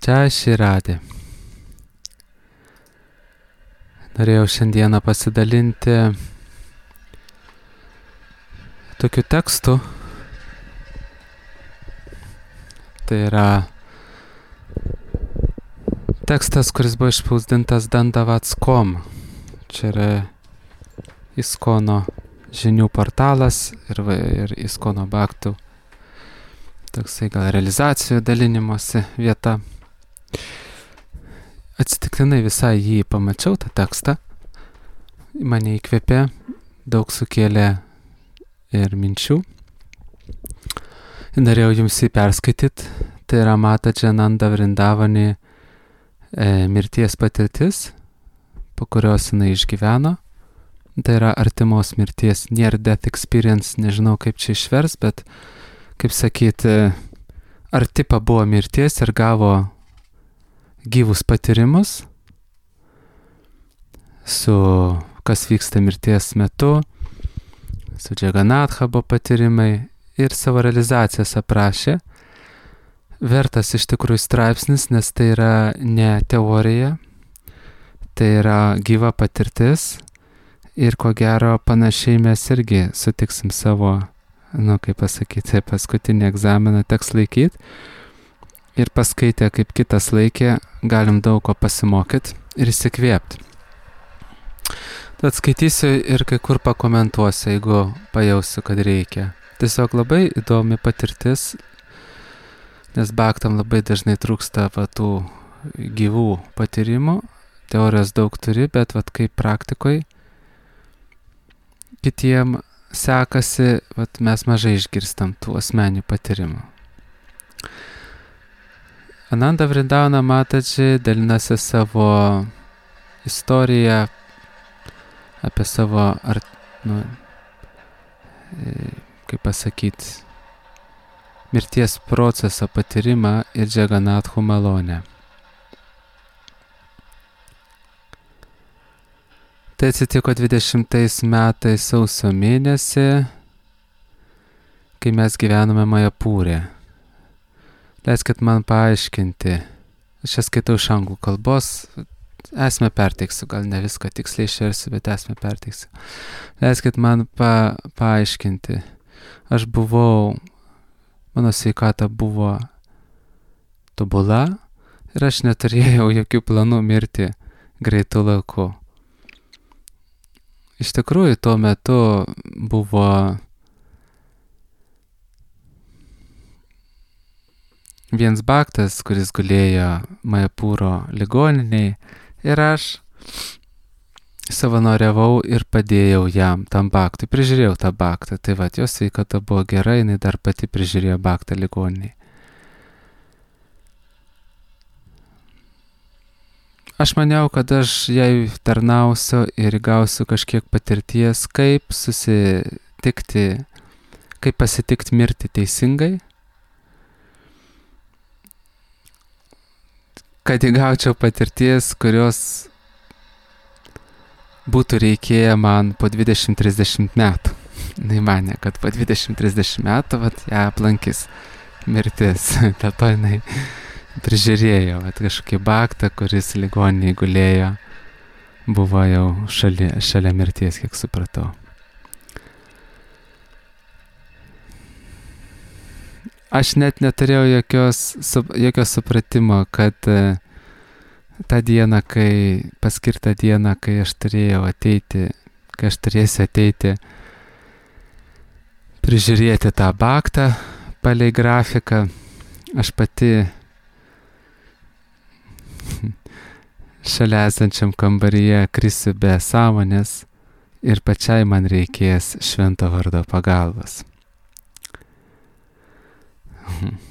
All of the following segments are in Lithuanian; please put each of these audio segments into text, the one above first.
Čia Širadė. Norėjau šiandieną pasidalinti tokiu tekstu. Tai yra tekstas, kuris buvo išspausdintas Dandavats.com. Čia yra ISKCONO žinių portalas ir ISKCONO Bhaktų. Toksai gal realizacijų dalinimosi vieta. Atsitiktinai visai jį pamačiau, tą tekstą. Mane įkvėpė, daug sukėlė ir minčių. Norėjau jums jį perskaityti. Tai yra Matajananda Vrindavani mirties patirtis, po kurios jinai išgyveno. Tai yra artimos mirties, near death experience, nežinau kaip čia išvers, bet kaip sakyti, arti pabuvo mirties ir gavo gyvus patyrimus su kas vyksta mirties metu, su Džaganatha buvo patyrimai ir savo realizacijas aprašė. Vertas iš tikrųjų straipsnis, nes tai yra ne teorija, tai yra gyva patirtis ir ko gero panašiai mes irgi sutiksim savo, kaip pasakyti, paskutinį egzaminą teks laikyti. Ir paskaitę, kaip kitas laikė, galim daug ko pasimokyti ir įsikvėpti. Tad skaitysiu ir kai kur pakomentuosiu, jeigu pajausiu, kad reikia. Tiesiog labai įdomi patirtis, nes bhaktam labai dažnai trūksta tų gyvų patyrimų. Teorijos daug turi, bet kaip praktikoje kitiem sekasi, mes mažai išgirstam tų asmeninių patyrimų. Ananda Vrindavana Mataji dalinasi savo istoriją apie savo, kaip pasakyti, mirties proceso patyrimą ir Džaganathų malonę. Tai atsitiko 20 metais sausio mėnesį, kai mes gyvenome Majapūre. Leiskit man paaiškinti. Aš čia skaitau iš anglų kalbos, esmę perteiksiu, gal ne viską tiksliai išversiu, bet esmę perteiksiu. Leiskit man paaiškinti. Aš buvau, mano sveikata buvo tobula ir aš neturėjau jokių planų mirti greitu laiku. Iš tikrųjų, tuo metu buvo vienas bhaktas, kuris gulėjo Majapūro ligoninėje ir aš savanoriavau ir padėjau jam, tam bhaktui, prižiūrėjau tą bhaktą. Tai jos sveikata buvo gera, jinai dar pati prižiūrėjo bhaktą ligoninėje. Aš maniau, kad aš jai tarnausiu ir gausiu kažkiek patirties, kaip susitikti, kaip pasitikti mirti teisingai, kad įgaučiau patirties, kurios būtų reikėję man po 20-30 metų. Jis manė, kad po 20-30 metų ją aplankys mirtis. Dėl to jinai prižiūrėjo, kažkokį bhaktą, kuris ligoninėje gulėjo, buvo jau šalia mirties, kiek supratau. Aš net neturėjau jokio supratimo, kad tą dieną, paskirtą dieną, kai aš turėsiu ateiti prižiūrėti tą bhaktą palei grafiką, aš pati šalia esančiam kambaryje krisiu be sąmonės ir pačiai man reikės švento vardo pagalbos.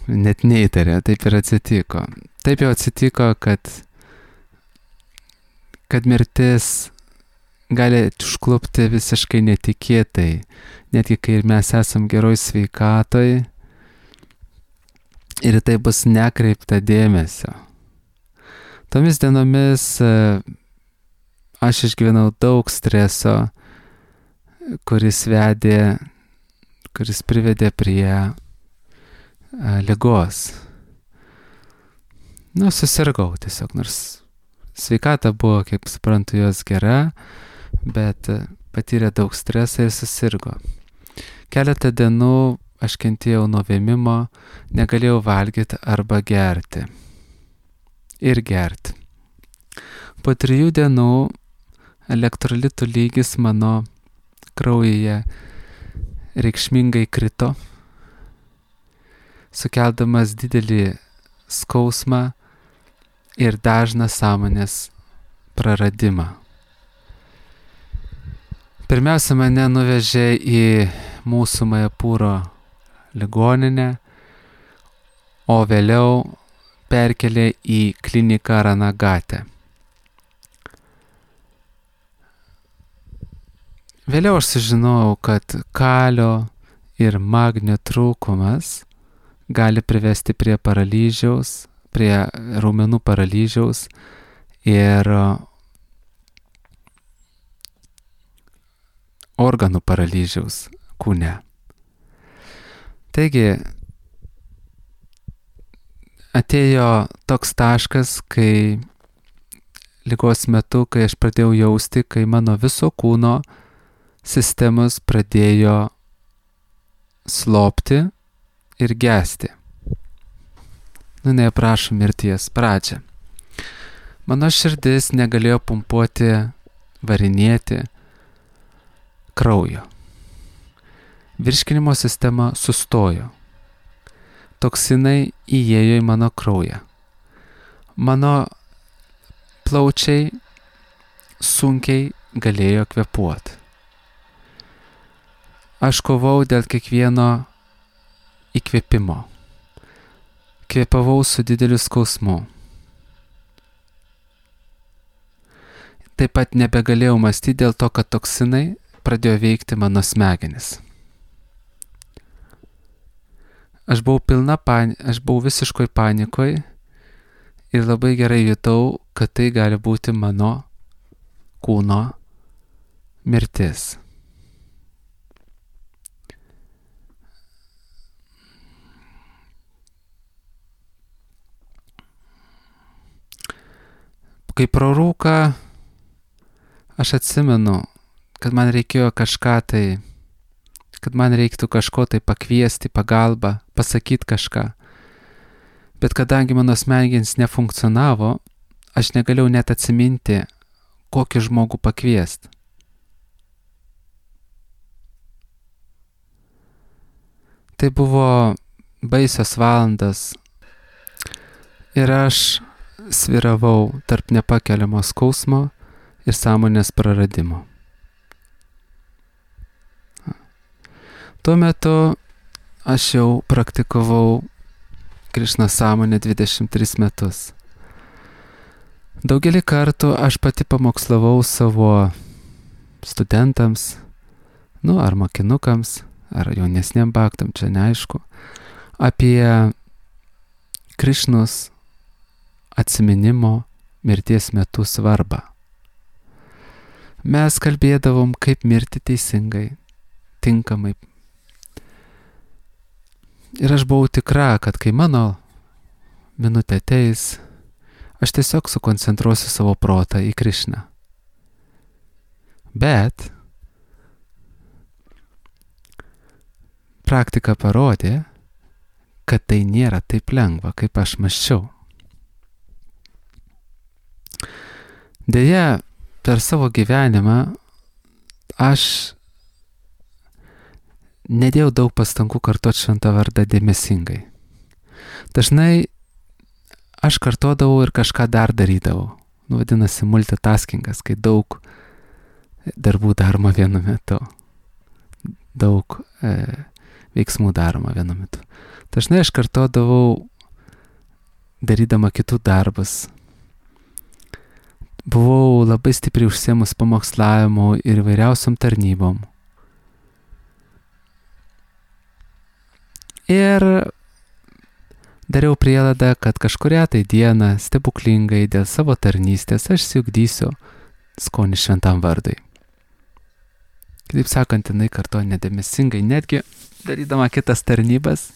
Net neįtarė, taip ir atsitiko. Taip jau atsitiko, kad mirtis gali užklupti visiškai netikėtai, netgi kai mes esam geroj sveikatoj ir tai bus nekreipta dėmesio. Tomis dienomis aš išgyvenau daug streso, kuris privedė prie ligos. susirgau tiesiog, nors sveikata buvo, kaip suprantu, jos gera, bet patyrė daug stresą ir susirgo. Keletą dienų aš kentėjau nuo vėmimo, negalėjau valgyti arba gerti. Ir gerti. Po 3 dienų elektrolitų lygis mano kraujyje reikšmingai krito, sukeldamas didelį skausmą ir dažną sąmonės praradimą. Pirmiausia, mane nuvežė į mūsų Majapūro ligoninę, o vėliau perkelė į kliniką Ranagate. Vėliau aš sužinojau, kad kalio ir magnio trūkumas gali privesti prie paralyžiaus, prie raumenų paralyžiaus ir organų paralyžiaus kūne. Taigi, atėjo toks taškas, kai ligos metu, kai aš pradėjau jausti, kai mano viso kūno sistemos pradėjo slopti ir gesti. Neaprašom mirties pradžią. Mano širdis negalėjo pumpuoti, varinėti kraujo. Virškinimo sistema sustojo. Toksinai įėjo į mano kraują. Mano plaučiai sunkiai galėjo kvėpuoti. Aš kovau dėl kiekvieno įkvėpimo. Kvėpavau su dideliu skausmu. Taip pat nebegalėjau mąstyti dėl to, kad toksinai pradėjo veikti mano smegenis. Aš buvau visiškoj panikoj ir labai gerai jutau, kad tai gali būti mano kūno mirtis. Kai pro rūką aš atsimenu, kad man reikėjo kad man reiktų kažko tai pakviesti, pagalbą, pasakyti kažką. Bet kadangi mano smegenys nefunkcionavo, aš negalėjau net atsiminti, kokį žmogų pakviesti. Tai buvo baisios valandas ir aš sviravau tarp nepakeliamo skausmo ir sąmonės praradimo. Tuo metu aš jau praktikavau Krišna sąmonę 23 metus. Daugelį kartų aš pati pamokslavau savo studentams, ar mokinukams, ar jaunesniem bhaktam, čia neaišku, apie Krišnos atsiminimo mirties metu svarbą. Mes kalbėdavom, kaip mirti teisingai, tinkamai. Ir aš buvau tikra, kad kai mano minutė ateis, aš tiesiog sukoncentruosiu savo protą į Krišną. Bet praktika parodė, kad tai nėra taip lengva, kaip aš mąsčiau. Deja, per savo gyvenimą aš nedėjau daug pastangų kartoti šventą vardą dėmesingai. Dažnai aš kartodavau ir kažką dar darydavau. Vadinasi, multitaskingas, kai daug darbų daroma vienu metu. Daug veiksmų daroma vienu metu. Dažnai aš kartodavau darydama kitų darbus. Buvau labai stipriai užsiėmus pamokslavimu ir įvairiausiom tarnybom. Ir dariau prielaidą, kad kažkurią tai dieną stebuklingai dėl savo tarnystės aš siugdysiu skonį šventam vardui. Kitaip sakant, jinai kartoja nedėmesingai, netgi darydama kitas tarnybas,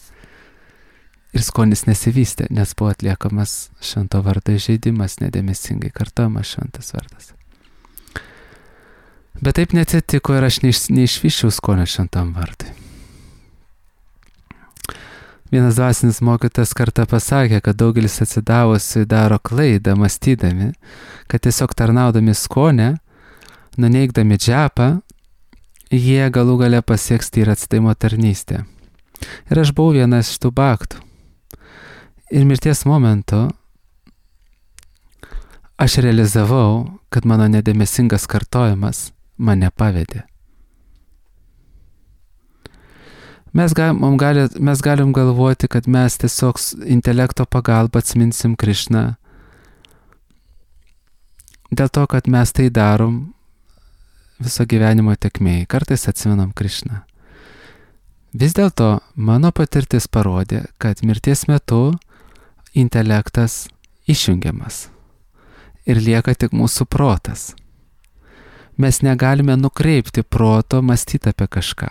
ir skonis nesivystė, nes buvo atliekamas švento vardo įžeidimas, nedėmesingai kartojamas šventas vardas. Bet taip neatsitiko ir aš neišvyščiau skonio šventam vardui. Vienas dvasinis mokytojas kartą pasakė, kad daugelis atsidavusių daro klaidą, mąstydami, kad tiesiog tarnaudami skonę, nuneigdami džepą, jie galų gale pasieks tyrą atsidavimo tarnystę. Ir aš buvau vienas iš tų baktų. Ir mirties momentu aš realizavau, kad mano nedėmesingas kartojimas mane pavedė. Mes galim galvoti, kad mes tiesiog intelekto pagalba atsiminsim Krišną dėl to, kad mes tai darom viso gyvenimo tekmėje. Kartais atsimenam Krišną. Vis dėlto mano patirtis parodė, kad mirties metu intelektas išjungiamas ir lieka tik mūsų protas. Mes negalime nukreipti proto mąstyti apie kažką.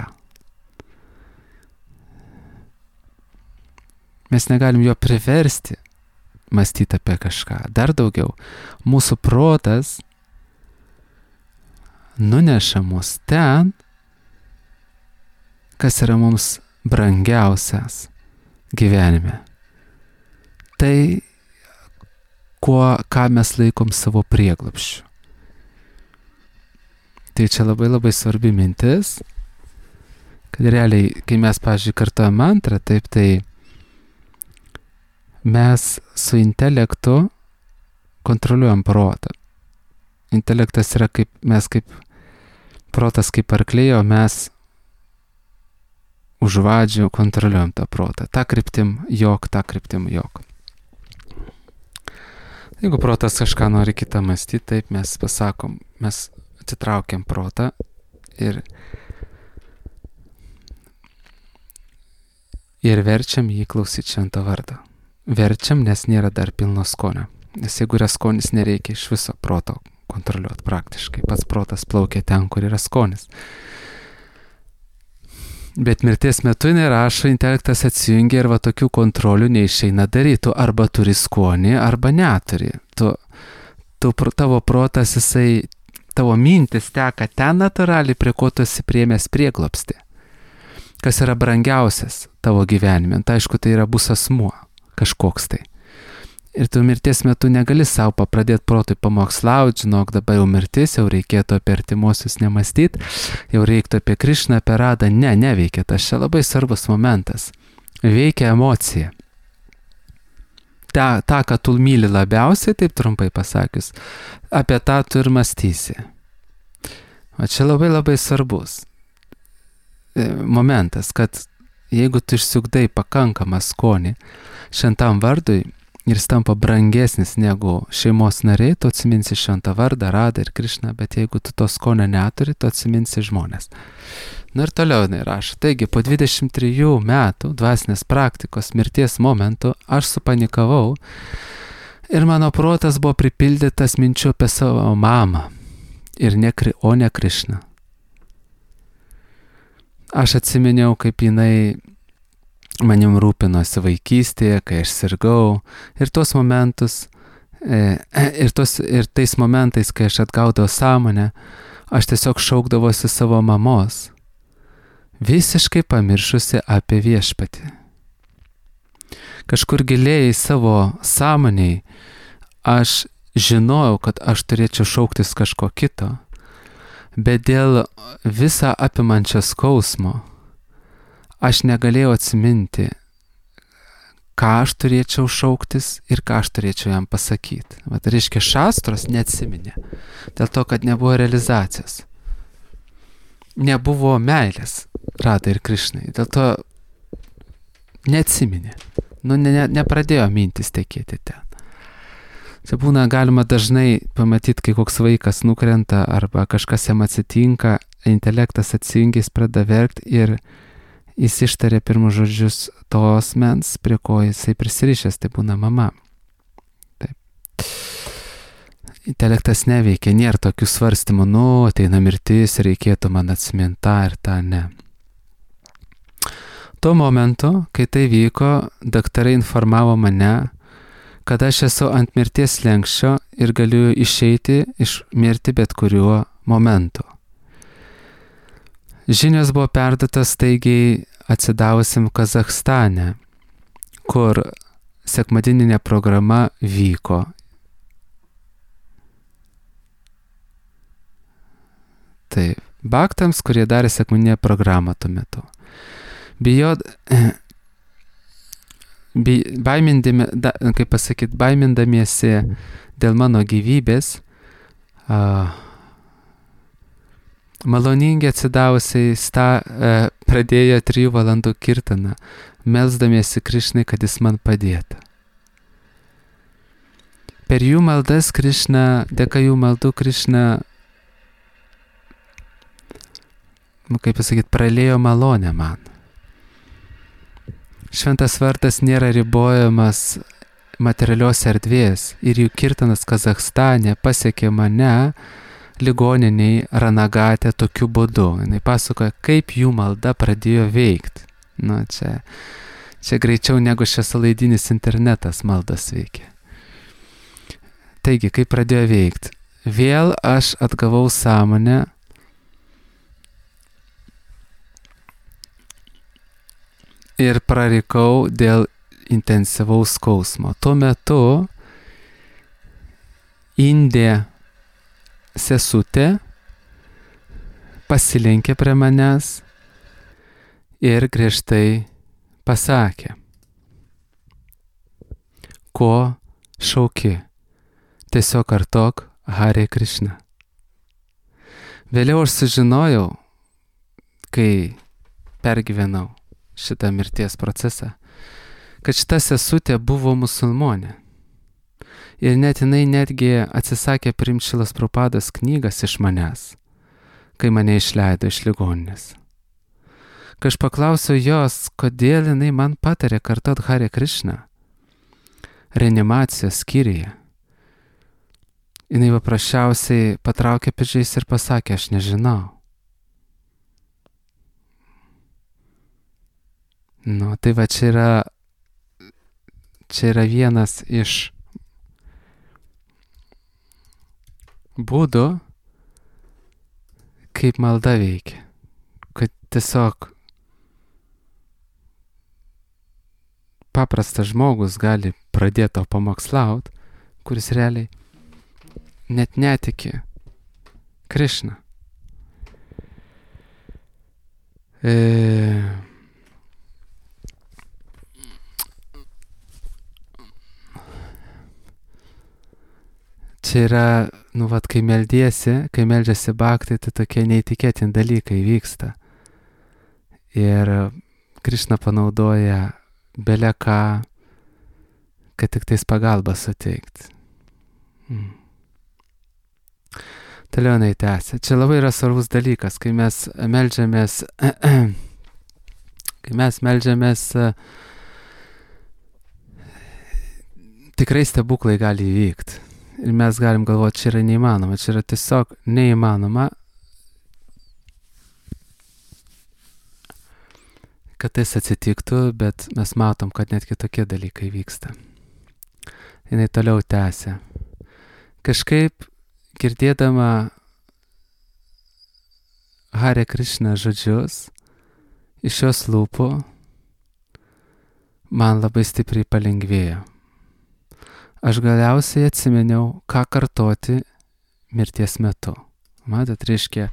Mes negalim jo priversti mąstyti apie kažką. Dar daugiau, mūsų protas nuneša mus ten, kas yra mums brangiausias gyvenime. Tai, ką mes laikom savo prieglobsčiu. Tai čia labai svarbi mintis, kad realiai, kai mes, pavyzdžiui, kartuojam mantrą, taip, tai mes su intelektu kontroliuojam protą. Intelektas yra kaip protas kaip arkliai, o mes už vadžių kontroliuojam tą protą. Ta kryptim jok. Jeigu protas kažką nori kitą mąstyti, taip mes pasakom, mes atitraukiam protą ir verčiam jį klausyti švento vardo. Verčiam, nes nėra dar pilno skonio. Nes jeigu yra skonis, nereikia iš viso proto kontroliuoti praktiškai. Pats protas plaukia ten, kur yra skonis. Bet mirties metu nerašo, intelektas atsijungia ir va tokių kontrolių neišeina daryti. Tu arba turi skonį, arba neturi. Tavo protas, tavo mintis teka ten natūraliai, prie ko tu esi priėmęs prieglobstį. Kas yra brangiausias tavo gyvenime. Tai aišku, tai yra bus asmuo kažkoks tai. Ir tu mirties metu negali savo pradėti protui pamokslauti, žinok, dabar jau mirtis, jau reikėtų apie artimuosius nemastyti, jau reiktų apie Krišną, apie Radą. Neveikia. Tas čia labai svarbus momentas. Veikia emocija. Ta, ką tu myli labiausiai, taip trumpai pasakius, apie tą tu ir mąstysi. O čia labai svarbus momentas, kad jeigu tu išsiugdai pakankamą skonį šventam vardui ir jis tampa brangesnis negu šeimos nariai, tu atsiminsi šventą vardą, Radą ir Krišną, bet jeigu tu to skonio neturi, tu atsiminsi žmonės. Ir toliau jinai rašo. Taigi, po 23 metų dvasinės praktikos mirties momentu aš supanikavau ir mano protas buvo pripildytas minčių apie savo mamą, o ne Krišną. Aš atsiminiau, kaip jinai manim rūpinosi vaikystėje, kai aš sirgau, ir tos momentus, ir tais momentais, kai aš atgaudavau sąmonę, aš tiesiog šaukdavosi savo mamos, visiškai pamiršusi apie viešpatį. Kažkur giliai savo sąmoniai aš žinojau, kad aš turėčiau šauktis kažko kito, bet dėl visą apimančio skausmo aš negalėjau atsiminti, ką aš turėčiau šauktis ir ką aš turėčiau jam pasakyti. Tai reiškia, šastros neatsiminė, dėl to, kad nebuvo realizacijos. Nebuvo meilės Radai ir Krišnai, dėl to neatsiminė. Nepradėjo mintis tekėti ten. Čia būna galima dažnai pamatyti, kai koks vaikas nukrenta arba kažkas jam atsitinka, intelektas atsijungia, jis pradeda verkti ir jis ištarė pirmus žodžius tos mens, prie ko jisai prisirišęs, tai būna mama. Taip. Intelektas neveikia, nėra tokių svarstymų, ateina mirtis, reikėtų man atsiminti tą ir tą, ne. Tuo momentu, kai tai vyko, daktarai informavo mane, kad aš esu ant mirties slenksčio ir galiu išeiti iš mirti bet kuriuo momentu. Žinios buvo perduotas staigiai atsidavusiam Kazachstane, kur sekmadieninė programa vyko. Tai baktams, kurie darė sekmadieninę programą tuo metu. Baimindamiesi dėl mano gyvybės, maloningi atsidavusiai pradėjo 3 valandų kirtaną, melsdamiesi Krišnai, kad jis man padėtų. Per jų maldas Krišna, dėka jų maldų Krišna, pralėjo malonę man. Šventas vardas nėra ribojamas materialios erdvės ir jų kirtanas Kazachstane pasiekė mane ligoniniai Ranagate tokiu būdu. Jis pasakoja, kaip jų malda pradėjo veikti. Čia greičiau negu šviesolaidinis internetas maldas veikia. Taigi, kaip pradėjo veikti? Vėl aš atgavau sąmonę ir prarikau dėl intensyvaus skausmo. Tuo metu indė sesutė pasilenkė prie manęs ir griežtai pasakė, ko šauki, tiesiog kartok Hare Krishna. Vėliau aš sužinojau, kai pergyvenau šitą mirties procesą, kad šita sesutė buvo musulmonė. Ir net jinai netgi atsisakė priimti Šilas Prabhupados knygas iš manęs, kai mane išleido iš ligoninės. Kai aš paklausiau jos, kodėl jinai man patarė kartot Hare Krishna reanimacijos skyriuje, jinai paprasčiausiai patraukė pečiais ir pasakė, aš nežinau. Tai va čia yra vienas iš būdų, kaip malda veikia. Kad tiesiog paprastas žmogus gali pradėti to pamokslaut, kuris realiai net netiki Krišna. Čia yra, kai meldžiasi bhaktai, tai tokie neįtikėtini dalykai vyksta. Ir Krišna panaudoja bele ką, kad tik tais pagalbą suteikti. Toliau jinai tęsia. Čia labai yra svarbus dalykas, kai mes meldžiamės, tikrai stebuklai gali įvykti. Ir mes galim galvoti, čia yra neįmanoma, čia yra tiesiog neįmanoma, kad tai atsitiktų, bet mes matom, kad netgi tokie dalykai vyksta. Jinai toliau tęsia. Kažkaip girdėdama Hare Krishna žodžius iš jos lūpų, man labai stipriai palengvėjo. Aš galiausiai atsiminiau, ką kartoti mirties metu. Matot, reiškia,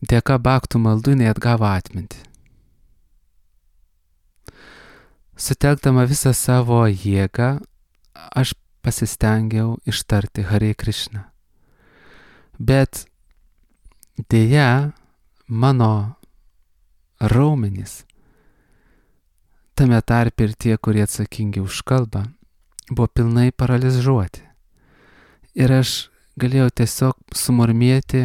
dėka bhaktų maldų jinai atgavo atmintį. Sutelkdama visą savo jėgą, aš pasistengiau ištarti Hare Krishna. Bet dėja, mano raumenys, tame tarpe ir tie, kurie atsakingi už kalbą, buvo pilnai paralyžiuoti. Ir aš galėjau tiesiog sumurmėti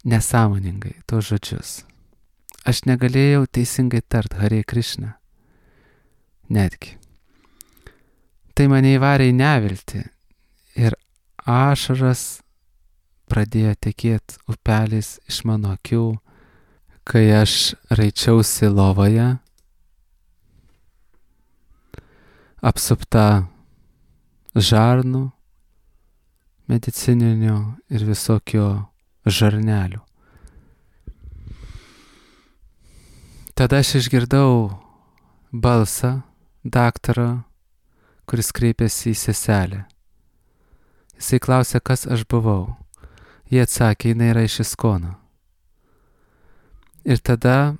nesąmoningai tos žodžius. Aš negalėjau teisingai tart Hare Krishna. Netgi. Tai mane įvarė į neviltį ir ašaras pradėjo tekėti upeliais iš mano akių, kai aš raičiausi lovoje, apsupta žarnų, medicininių ir visokio žarnelių. Tada aš išgirdau balsą daktaro, kuris kreipėsi į seselę. Jisai klausė, kas aš buvau. Jie atsakė, jinai yra iš Iskono. Ir tada,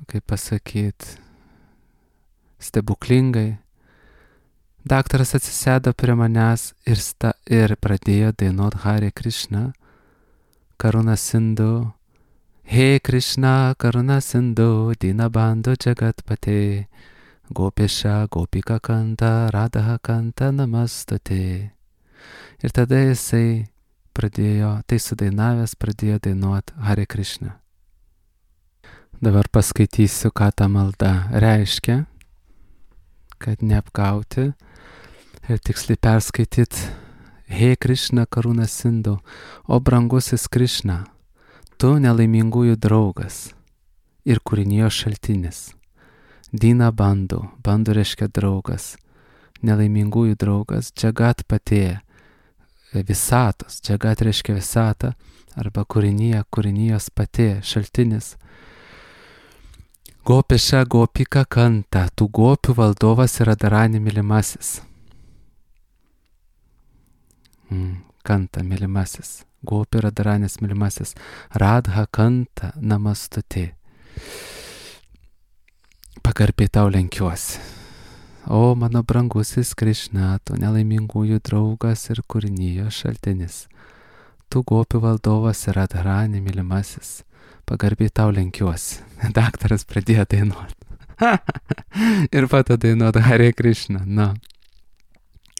kaip pasakyt, stebuklingai, daktaras atsisėdo prie manęs ir pradėjo dainuot Hare Krishna, Karuna Sindhu. He Krishna, Karuna Sindhu, Dinabandhu Jagatpate, Gopesha, Gopika Kanta, Radha Kanta, Namastute. Ir tada jisai tai sudainavęs pradėjo dainuot Hare Krishna. Dabar paskaitysiu, ką ta malda reiškia, kad neapgauti ir tiksliai perskaityti. He Krishna, Karuna Sindhu, o brangusis Krishna, tu nelaimingųjų draugas ir kūrinijos šaltinis. Dina Bandhu, Bandhu reiškia draugas, nelaimingųjų draugas, Jagatpate, visatos, Jagat reiškia visata, arba kūrinijos pate, šaltinis. Gopesha, Gopika Kanta, tų gopių valdovas yra Radharani mylimasis. Kanta mylimasis. Gopi Radharanis mylimasis. Radha Kanta Namastute. Pagarbiai tau lenkiuosi. O mano brangusis Krishna, tu nelaimingųjų draugas ir kūrinijos šaltinis. Tu gopių valdovas ir Radharani mylimasis. Pagarbiai tau lenkiuosi. Daktaras pradėjo dainuoti. Ir pato dainuoti Hare Krishna. Na,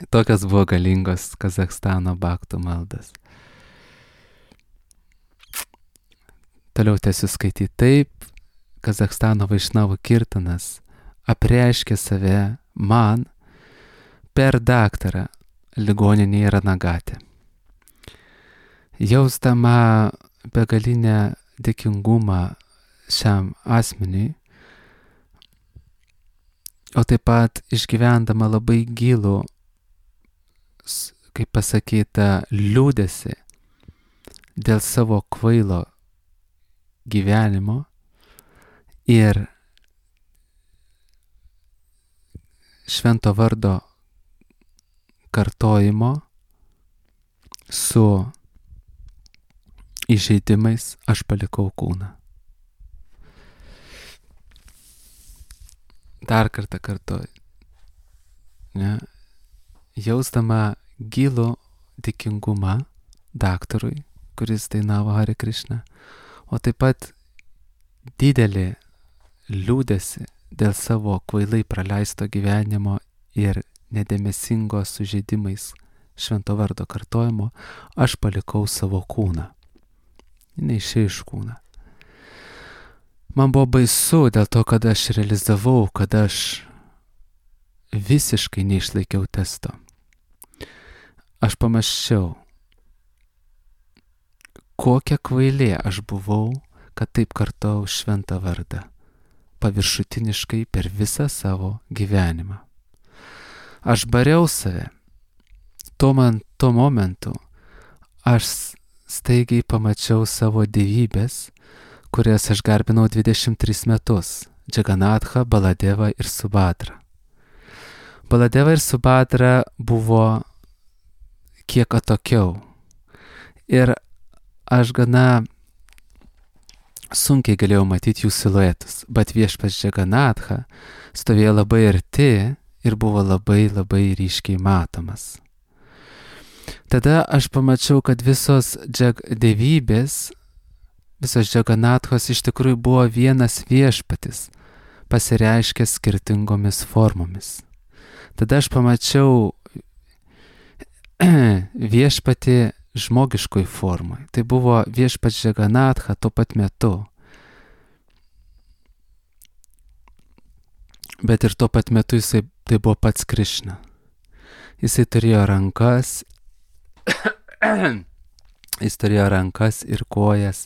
tokios buvo galingos Kazachstano bhaktų maldas. Toliau tęsiu skaityti. Taip, Kazachstano Vaišnavų kirtanas apreiškė save man per daktarą ligoninėje Ranagate. Jausdama begalinę dėkingumą šiam asmeniui, o taip pat išgyvendama labai gilų, kaip pasakyta, liūdesį dėl savo kvailo gyvenimo ir švento vardo kartojimo su įžeidimais, aš palikau kūną. Dar kartą kartoju. Ne? Jausdama gilų dėkingumą daktarui, kuris dainavo Hare Krishna, o taip pat didelį liūdesį dėl savo kvailai praleisto gyvenimo ir nedėmesingo sužeidimais švento vardo kartojimo, aš palikau savo kūną. Neišėjau iš kūną. Man buvo baisu dėl to, kad aš realizavau, kad aš visiškai neišlaikiau testo. Aš pamąsčiau, kokia kvailė aš buvau, kad taip kartojau šventą vardą, paviršutiniškai per visą savo gyvenimą. Aš bariau save. Tuo momentu aš staigiai pamačiau savo dievybės, kurias aš garbinau 23 metus – Džaganatha, Baladeva ir Subhadra. Baladeva ir Subhadra buvo kiek atokiau ir aš gana sunkiai galėjau matyti jų siluetus, bet viešpats Džaganatha stovėjo labai arti ir buvo labai ryškiai matomas. Tada aš pamačiau, kad visos dievybės, visos Džaganathos iš tikrųjų buvo vienas viešpatis, pasireiškęs skirtingomis formomis. Tada aš pamačiau viešpatį žmogiškoj formai. Tai buvo viešpats Džaganatha tuo pat metu. Bet ir tuo pat metu tai buvo pats Krishna. Jisai turėjo rankas Jis turėjo rankas ir kojas,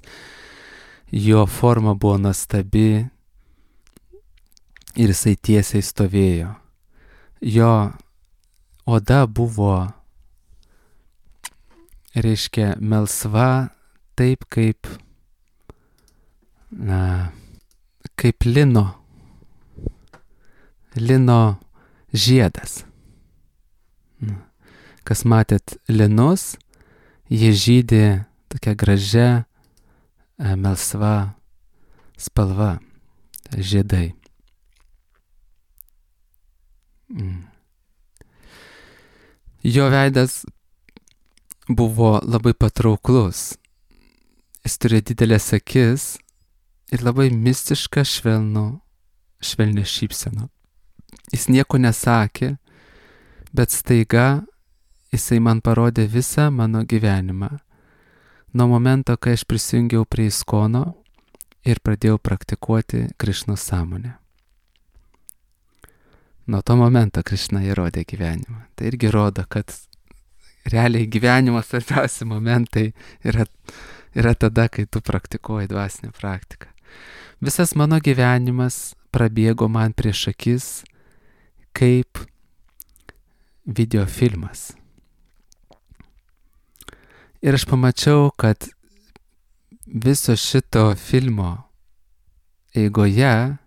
jo forma buvo nuostabi ir jisai tiesiai stovėjo. Jo oda buvo, reiškia, melsva, taip kaip lino žiedas. Kas matėt linus, jie žydi tokia gražia, melsva spalva, žiedai. Jo veidas buvo labai patrauklus. Jis turėjo didelės akis ir labai mistišką švelnią šypseną. Jis nieko nesakė, bet staiga jisai man parodė visą mano gyvenimą. Nuo momento, kai aš prisijungiau prie ISKCONO ir pradėjau praktikuoti Krišnos sąmonę. Nuo to momento Krišna įrodė gyvenimą. Tai irgi rodo, kad realiai gyvenimo svarbiausi momentai yra tada, kai tu praktikuoji dvasinę praktiką. Visas mano gyvenimas prabėgo man prieš akis kaip videofilmas. Ir aš pamačiau, kad viso šito filmo eigoje,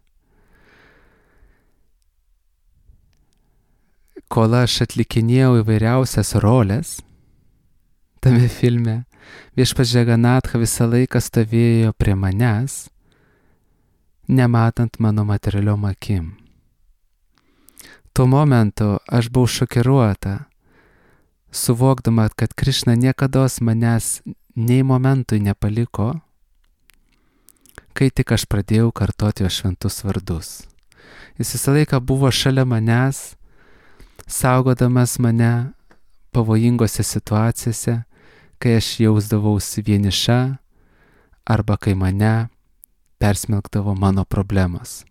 kol aš atlikinėjau įvairiausias roles tame filme, viešpats Džaganatha visą laiką stovėjo prie manęs, nematant mano materialiom akim. Tuo momentu aš buvau šokiruota, suvokdama, kad Krišna niekados manęs nei momentui nepaliko, kai tik aš pradėjau kartoti jo šventus vardus. Jis visą laiką buvo šalia manęs, saugodamas mane pavojingose situacijose, kai aš jausdavausi vieniša arba kai mane persmelkdavo mano problemos.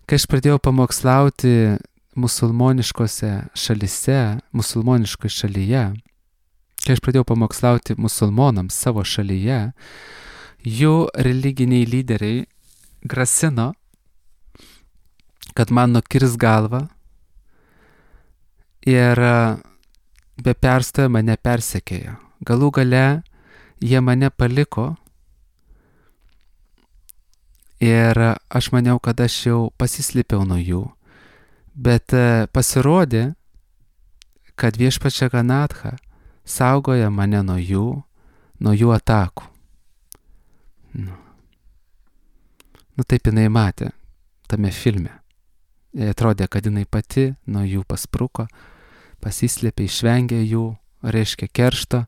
Kai aš pradėjau pamokslauti musulmoniškoje šalyje, kai aš pradėjau pamokslauti musulmonams savo šalyje, jų religiniai lyderiai grasino, kad man nukirs galvą ir be perstojo mane persekiojo. Galų gale jie mane paliko ir aš maniau, kad aš jau pasislėpiau nuo jų. Bet pasirodė, kad viešpats Džaganatha saugoja mane nuo jų atakų. Taip jinai matė tame filme. Jai atrodė, kad jinai pati nuo jų paspruko, pasislėpė, išvengė jų, reiškia keršto,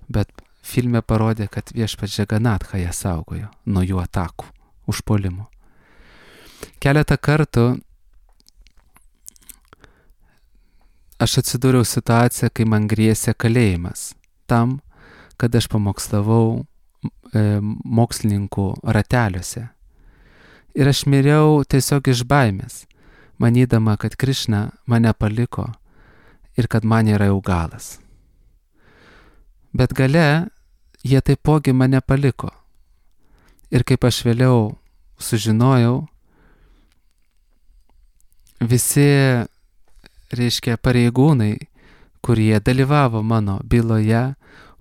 bet filme parodė, kad viešpats Džaganatha ją saugojo nuo jų atakų, užpuolimų. Keletą kartų aš atsidūriau situaciją, kai man grėsė kalėjimas tam, kad aš pamokslavau mokslininkų rateliuose. Ir aš miriau tiesiog iš baimės, manydama, kad Krišna mane paliko ir kad man yra jau galas. Bet gale jie taipogi mane paliko. Ir kaip aš vėliau sužinojau, visi, reiškia, pareigūnai, kurie dalyvavo mano byloje,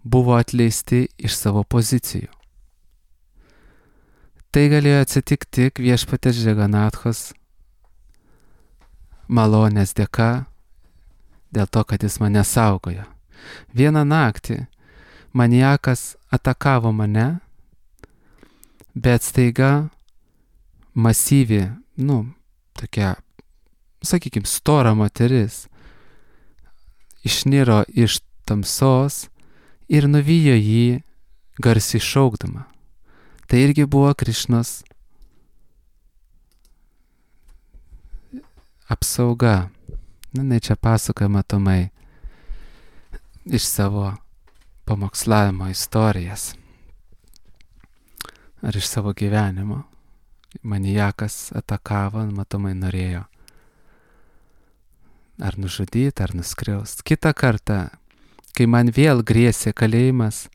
buvo atleisti iš savo pozicijų. Tai galėjo atsitikti tik viešpatės Džaganathos malonės dėka, dėl to, kad jis mane saugojo. Vieną naktį maniakas atakavo mane, bet staiga masyvi, tokia, sakykime, stora moteris išniro iš tamsos ir nuvijo jį garsiai šaukdama. Tai irgi buvo Krišnos apsauga. Čia pasakoja matomai iš savo pamokslavimo istorijas ar iš savo gyvenimo. Maniakas atakavo, matomai norėjo ar nužudyti, ar nuskriaust. Kitą kartą, kai man vėl grėsė kalėjimas,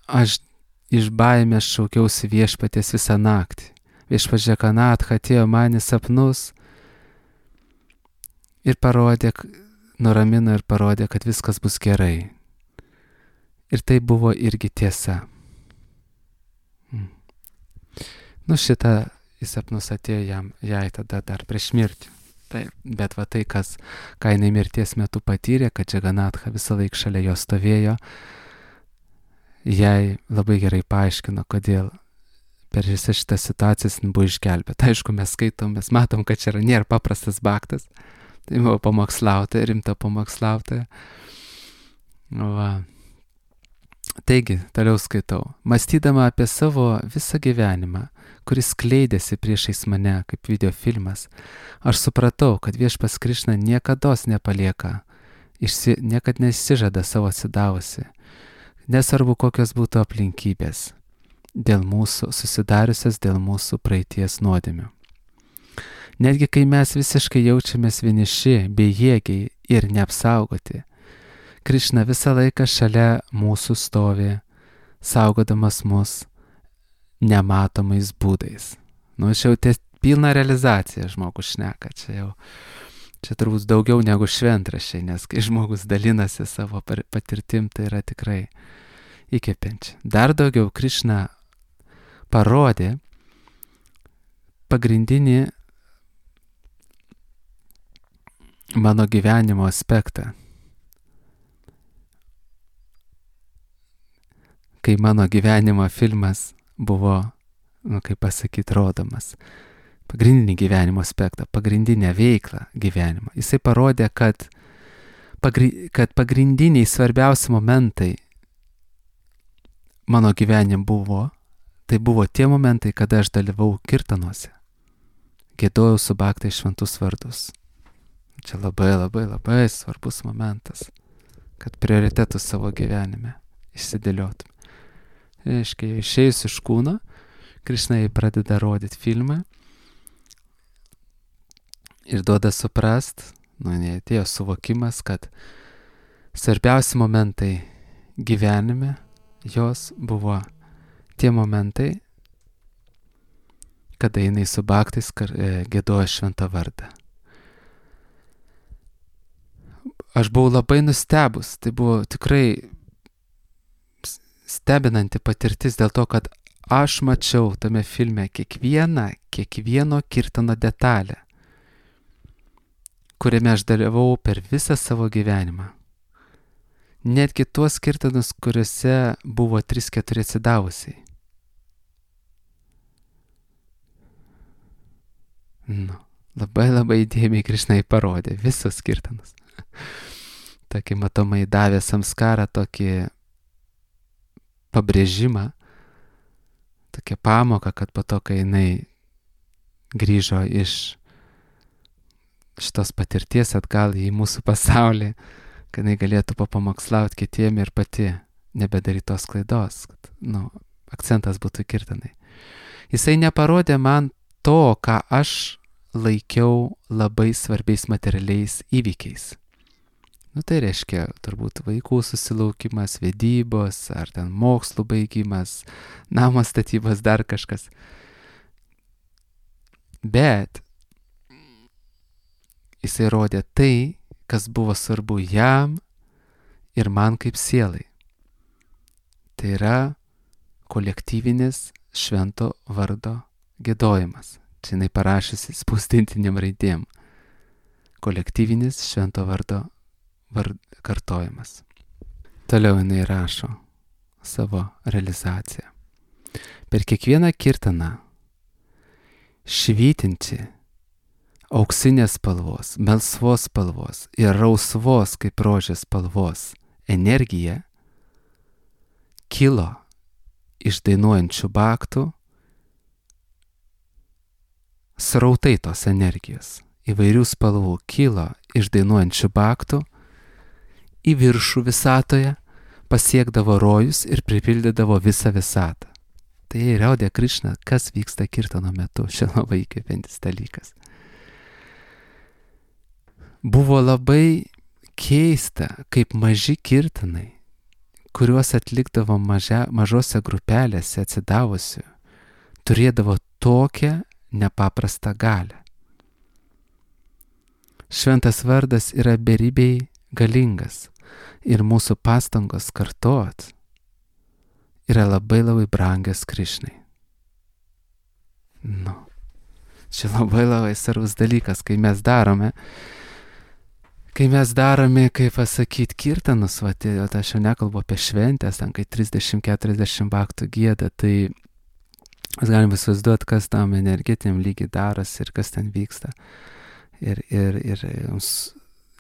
aš iš baimės šaukiausi Viešpaties visą naktį. Viešpats Džaganatha atėjo man į sapnus ir nuramino ir parodė, kad viskas bus gerai. Ir tai buvo irgi tiesa. Šitą į sapnus atėjo jai tada dar prieš mirtį. Taip, bet va tai, ką jinai mirties metu patyrė, kad Džaganatha visą laiką šalia jo stovėjo, jai labai gerai paaiškino, kodėl per visą šitą situaciją buvo išgelbėta. Aišku, mes skaitom, mes matom, kad čia nėra paprastas baktas. Tai buvo pamokslautoja, rimta pamokslautoja. Va. Taigi, toliau skaitau. Mąstydama apie savo visą gyvenimą, kuris skleidėsi priešais mane kaip videofilmas, aš supratau, kad Viešpats Krišna niekados nepalieka, niekad nesižada savo atsidavusi, nesvarbu kokios būtų aplinkybės, susidariusias dėl mūsų praeities nuodėmių. Netgi kai mes visiškai jaučiamės vieniši, bejėgiai ir neapsaugoti, Krišna visą laiką šalia mūsų stovi, saugodamas mus nematomais būdais. Čia jau pilna realizacija žmogus šneka, čia turbūt daugiau negu šventraščiai, nes kai žmogus dalinasi savo patirtim, tai yra tikrai įkvepiančia. Dar daugiau Krišna parodė pagrindinį mano gyvenimo aspektą. Kai mano gyvenimo filmas buvo, rodomas. Pagrindinį gyvenimo aspektą, pagrindinę veiklą gyvenimo. Jisai parodė, kad pagrindiniai svarbiausi momentai mano gyvenime tai buvo tie momentai, kada aš dalyvau kirtanuose. Giedojau su baktais šventus vardus. Čia labai, labai, labai svarbus momentas, kad prioritetus savo gyvenime išsidėliotum. Reiškia, išėjus iš kūno, Krišna jai pradeda rodyti filmą ir duoda suprast, atėjo suvokimas, kad svarbiausi momentai gyvenime jos buvo tie momentai, kada jinai su baktais giedojo šventą vardą. Aš buvau labai nustebus, tai buvo tikrai stebinanti patirtis dėl to, kad aš mačiau tame filme kiekvieno kirtano detalę, kuriame aš dalyvau per visą savo gyvenimą. Netgi tuos kirtanus, kuriuose buvo 3-4 atsidavusiai. Labai labai įdėmiai Krišnai parodė visus kirtanus. Tokį matomai davė samskarą, tokį pabrėžimą, tokia pamoka, kad po to, kai jinai grįžo iš šitos patirties atgal į mūsų pasaulį, kad jinai galėtų papamokslauti kitiem ir pati nebedaryti tos klaidos, kad, akcentas būtų kirtanai. Jisai neparodė man to, ką aš laikiau labai svarbiais materialiais įvykiais. Tai reiškia turbūt vaikų susilaukimas, vedybos, ar ten mokslų baigimas, namo statybos, dar kažkas. Bet jisai rodė tai, kas buvo svarbu jam ir man kaip sielai. Tai yra kolektyvinis švento vardo giedojimas. Čia jinai parašysi spausdintiniam raidėm. Kolektyvinis švento vardo kartojimas. Toliau jinai rašo savo realizaciją. Per kiekvieną kirtaną švytinti auksinės spalvos, melsvos spalvos ir rausvos kaip rožės spalvos energija kilo iš dainuojančių baktų srautai tos energijos. Įvairių spalvų kilo iš dainuojančių baktų į viršų visatoje, pasiekdavo rojus ir pripildydavo visą visatą. Tai įrodė Krišna, kas vyksta kirtano metu. Čia labai įkvepiantis dalykas. Buvo labai keista, kaip maži kirtanai, kuriuos atlikdavo mažose grupelėse atsidavusių, turėdavo tokią nepaprastą galią. Šventas vardas yra beribiai galingas ir mūsų pastangos kartot yra labai brangios Krišnai. Čia labai svarbus dalykas, kai mes darome, kaip pasakyti, kirtanus, aš jau nekalbu apie šventės, ten kai 30-40 baktų gieda, tai mes galim įsivaizduoti, kas tam energetiniam lygiai darosi ir kas ten vyksta. Ir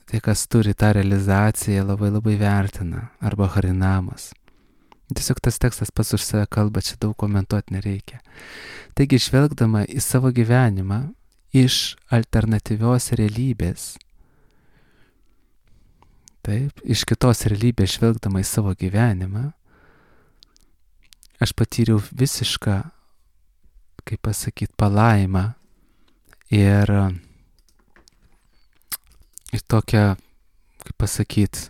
tai, kas turi tą realizaciją, labai vertina, arba harinamas. Tiesiog tas tekstas pats už save kalba, čia daug komentuoti nereikia. Taigi, žvelgdama į savo gyvenimą iš alternatyvios realybės, taip, iš kitos realybės žvelgdama į savo gyvenimą, aš patyriau visišką, kaip pasakyti, palaimą ir tokią, kaip pasakyti,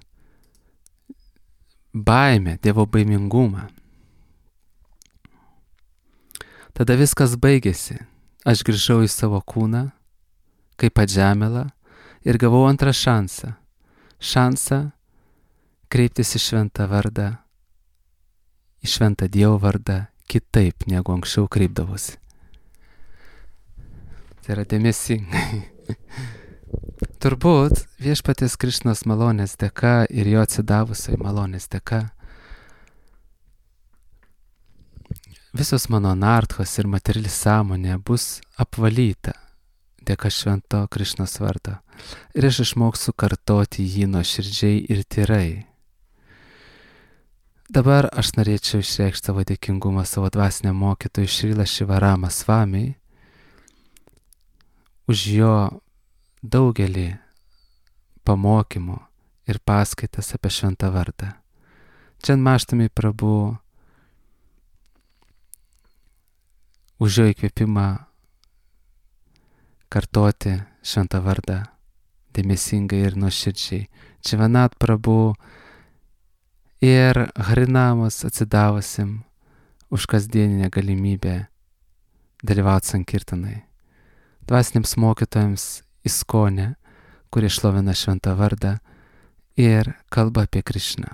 baimę, Dievo baimingumą. Tada viskas baigėsi. Aš grįžau į savo kūną, kaip atžemėlą, ir gavau antrą šansą. Šansą kreiptis į šventą vardą, į šventą Dievo vardą kitaip, negu anksčiau kreipdavosi. Tai yra dėmesingai. Turbūt viešpaties Krišnos malonės dėka ir jo atsidavusioj malonės dėka visos mano narthos ir materiali sąmonė bus apvalyta dėka švento Krišnos vardo ir aš išmoksiu kartoti jį nuoširdžiai ir tyrai. Dabar aš norėčiau išreikšti savo dėkingumą savo dvasiniam mokytojui Šrila Šivarama Svamiui už jo daugelį pamokymų ir paskaitas apie šventą vardą. Čia Maštami Prabhu už jo įkvėpimą kartoti šventą vardą dėmesingai ir nuoširdžiai. Čivanat Prabhu ir Harinamas atsidavusim už kasdieninę galimybę dalyvauti sankirtanai. Dvasiniams mokytojams Iskonė, kurie šlovina šventą vardą ir kalba apie Krišną.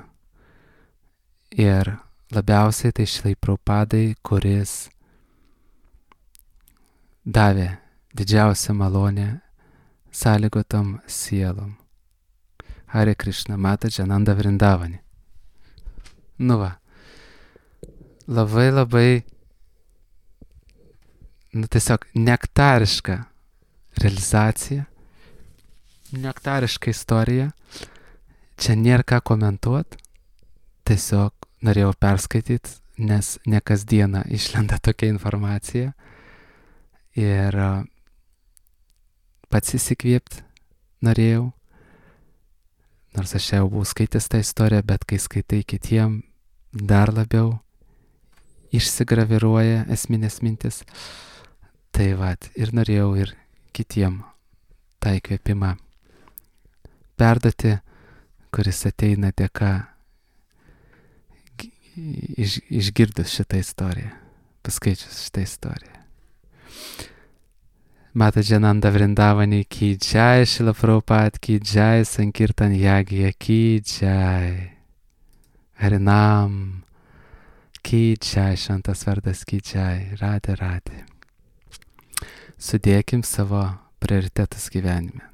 Ir labiausiai tai Šrilai Prabhupadai, kuris davė didžiausią malonę sąlygotom sielom. Hare Krishna, Mataji Ananda Vrindavani. Labai tiesiog nektariška realizacija, nektariška istorija. Čia nėra ką komentuoti, tiesiog norėjau perskaityti, nes ne kasdieną išlenda tokia informacija ir pats įsikvėpti norėjau, nors aš jau buvau skaitęs tą istoriją, bet kai skaitai kitiem, dar labiau išsigraviruoja esminės mintis. Tai ir norėjau ir kitiem tą įkvėpimą perduoti, kuris ateina dėka išgirdus šitą istoriją, paskaičius šitą istoriją. Mataji Ananda Vrindavani ki jai, Šrila Prabhupada ki jai, Sankirtan Yagya ki jai, Harinam ki jai, šventas vardas ki jai, Radhe Radhe. Sudėkim savo prioritetus gyvenime.